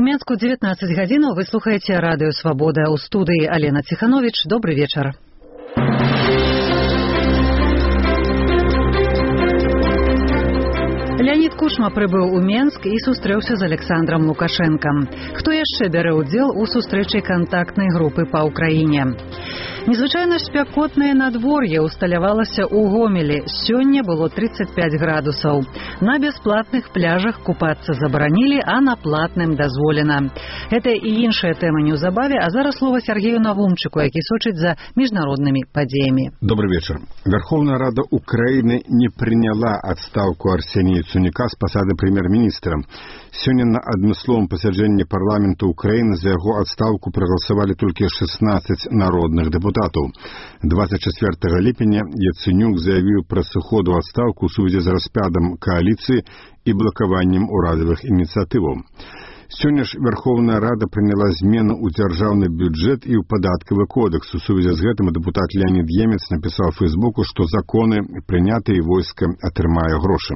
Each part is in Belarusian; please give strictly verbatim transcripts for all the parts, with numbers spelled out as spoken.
Менску девятнадцать гадзінаў. Вы слухаеце радыё Свабода. У студыі Алена Ціхановіч. Добры вечар. Леонид Кучма прыбыў у Менск і сустрэўся з Александром Лукашенком. Хто яшчэ бярэ ўдзел у сустрэчы кантактнай групы па ўкраіне? Незвычайна спякотнае надвор'е усталявалася ў Гомелі. Сёння было тридцать пять градусаў. На бясплатных пляжах купацца забаранілі, а на платным дазволена. Гэта і іншая тэма неўзабаве, а зараз слова Сергею Навумчыку, які сочыць за міжнароднымі падзеямі. Добрый вечер. Верховная Рада Украины не приняла отставку Арсения Яценюка с посады премьер-министра. Сегодня на адмысловом пасяджэнні парламента Украины за его отставку проголосовали только шестнадцать народных депутатов. двадцать четвёртага ліпеня Яценюк заявил про сыход у отставку в связи с распадом коалиции и блокованием урадовых инициатив. Сегодня ж Верховная Рада приняла змену у дзяржаўны бюджет и у податковый кодекс. В связи с этим депутат Леонид Емец написал в Фейсбуку, что законы, принятые войска, атрымае грошы.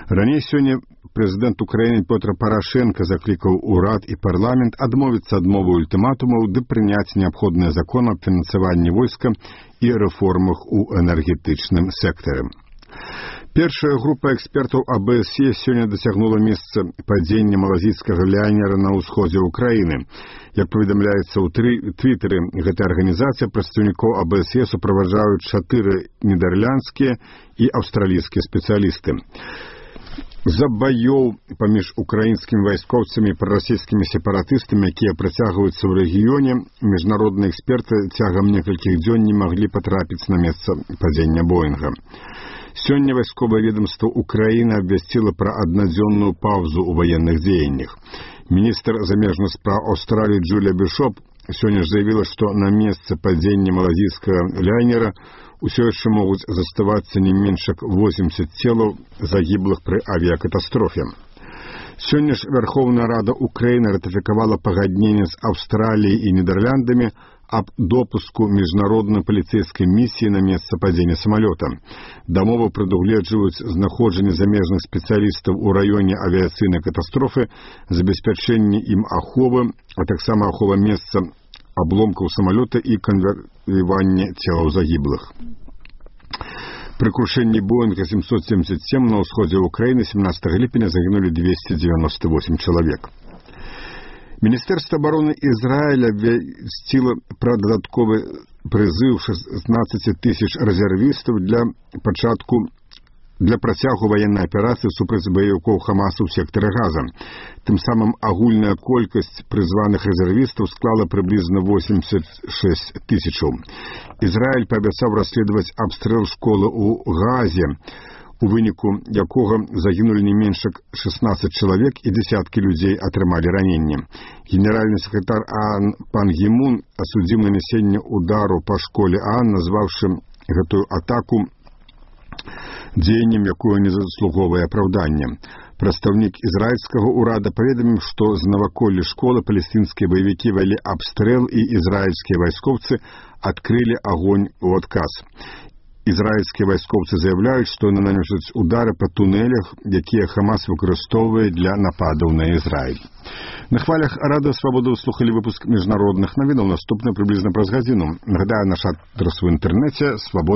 Ранее сегодня президент Украины Петр Порошенко закликал урад и парламент адмовиться ад мовы ультиматумов, да принять необходные законы о финансировании войска и реформах у энергетичном секторе. Первая группа экспертов АБСЕ сегодня досягнула месца падения малазийского лайнера на усходе Украины. Как поведомляется у Твиттере, эта организация представников АБСЕ сопровождают четыре нидерландские и австралийские специалисты. За боёў паміж украінскімі вайскоўцамі і прарасійскімі сепаратыстамі, якія працягваюцца ў рэгіёне, міжнародныя эксперты цягам некалькіх дзён не маглі патрапіць на месца падзення Боінга. Сёння вайсковае ведомство Украины абвясціла пра аднадзённую паўзу ў ваенных дзеяннях. Министр замежных справ Австралии Джулия Бишоп сегодня заявила, что на месте падения малазийского лайнера усё яшчэ могуць заставацца не менш як восемьдесят целаў загіблых пры авиакатастрофе. Сёння ж Верховная Рада Украины ратыфікавала пагадненне з Австраліяй і Нідерландамі об допуску международной полицейской миссии на место падения самолета. Дамовы прадугледжваюць знаходжанне замежных специалистов у районе авиационной катастрофы, забеспячэнне им аховы, а таксама ахова месца обломков самолета и конвоирование телаў загиблых. При крушении Боинга семьсот семьдесят семь на усходе Украины семнадцатого ліпеня загинули двести девяносто восемь человек. Министерство обороны Израиля обвясціла про додатковый призыв шестнадцать тысяч резервистов для початку для працягу военной операции супраць баевиков Хамаса в секторе Газа. Тем самым агульная колькость призванных резервистов склала приблизно восемьдесят шесть тысяч. Израиль пообещал расследовать обстрел школы у Газе, у выніку якога загинули не меньше шестнадцать человек и десятки людей атрымалі ранения. Генеральный секретарь ООН Пан Гі Мун осудил нанесение удару по школе ООН, назвавшим эту атаку дзеяннем, якое не заслуговае апраўдання. Прадстаўнік ізраільскага ўрада паведаміў, што з наваколля школы палестынскія баевікі вялі абстрэл і ізраільскія вайскоўцы адкрылі агонь у адказ. Израильские вайскоўцы заявляют, что они наносят удары по туннелях, якія Хамас выкарыстоўвае для нападаў на Израиль. На хвалях Радыё Свабода вы слухали выпуск международных новинаў. Наступны приблизно праз гадзіну. Нагадаю, наш адрес в интернете свобода.